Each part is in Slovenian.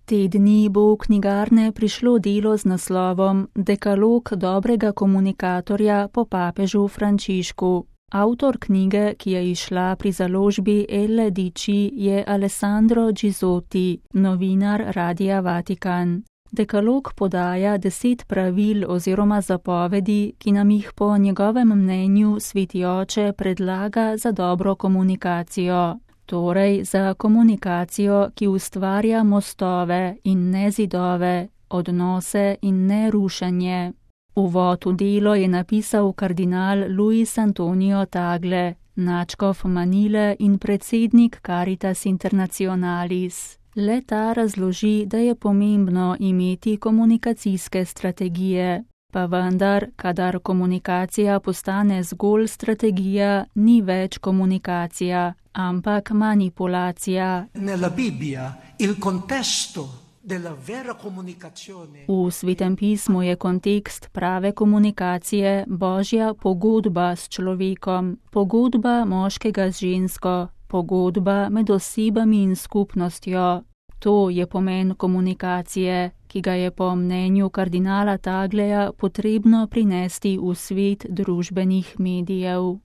Te dni bo v knjigarne prišlo delo z naslovom Dekalog dobrega komunikatorja po papežu Frančišku. Avtor knjige, ki je izšla pri založbi Elle Dici, je Alessandro Gisotti, novinar Radia Vatikan. Dekalog podaja 10 pravil oziroma zapovedi, ki nam jih po njegovem mnenju Sveti Oče predlaga za dobro komunikacijo. Torej za komunikacijo, ki ustvarja mostove in ne zidove, odnose in ne rušenje. Uvod v delo je napisal kardinal Luis Antonio Tagle, nadškof Manile in predsednik Caritas Internationalis. Le ta razloži, da je pomembno imeti komunikacijske strategije. Pa vendar, kadar komunikacija postane zgolj strategija, ni več komunikacija, ampak manipulacija. Nella Bibbia il contesto della vera comunicazione. V Svetem pismu je kontekst prave komunikacije Božja pogodba s človekom, pogodba moškega z žensko, pogodba med osebami in skupnostjo. To je pomen komunikacije, ki ga je po mnenju kardinala Tagleja potrebno prinesti v svet družbenih medijev.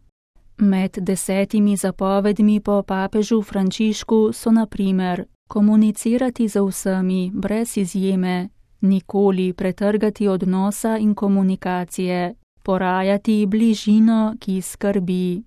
Med 10 zapovedmi po papežu Frančišku so na primer komunicirati z vsemi brez izjeme, nikoli pretrgati odnosa in komunikacije, porajati bližino, ki skrbi.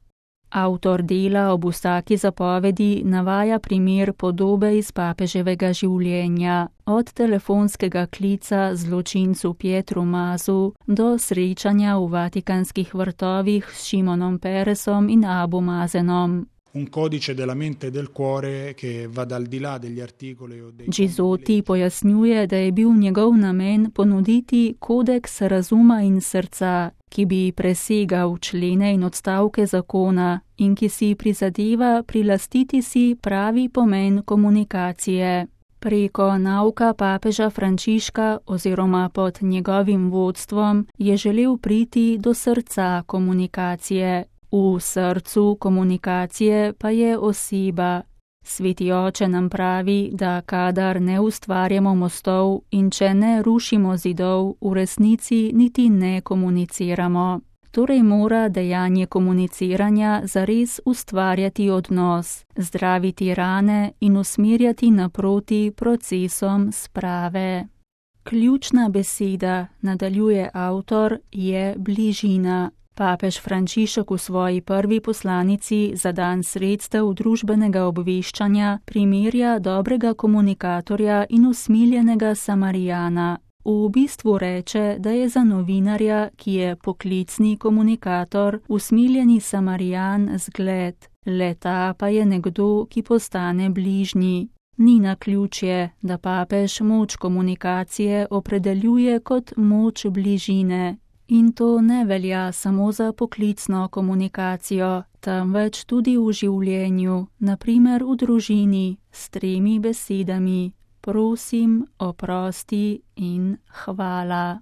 Avtor dela ob vsaki zapovedi navaja primer podobe iz papeževega življenja, od telefonskega klica zločincu Pietru Masu do srečanja v Vatikanskih vrtovih s Šimonom Peresom in Abu Mazenom. Un codice della mente e del cuore che va dal di là degli articoli o dei... Gisotti pojasnjuje, da je bil njegov namen ponuditi kodeks razuma in srca, ki bi presegal člene in odstavke zakona in ki si prizadeva prilastiti si pravi pomen komunikacije. Preko nauka papeža Frančiška oziroma pod njegovim vodstvom je želel priti do srca komunikacije. V srcu komunikacije pa je oseba. Sveti Oče nam pravi, da kadar ne ustvarjamo mostov in če ne rušimo zidov, v resnici niti ne komuniciramo. Torej mora dejanje komuniciranja zares ustvarjati odnos, zdraviti rane in usmerjati naproti procesom sprave. Ključna beseda, nadaljuje avtor, je bližina. Papež Frančišek v svoji prvi poslanici za dan sredstev družbenega obveščanja primerja dobrega komunikatorja in usmiljenega Samarijana. V bistvu reče, da je za novinarja, ki je poklicni komunikator, usmiljeni Samarijan zgled. Le-ta pa je nekdo, ki postane bližnji. Ni naključje, da papež moč komunikacije opredeljuje kot moč bližine. In to ne velja samo za poklicno komunikacijo, temveč tudi v življenju, na primer v družini, s 3 besedami: prosim, oprosti in hvala.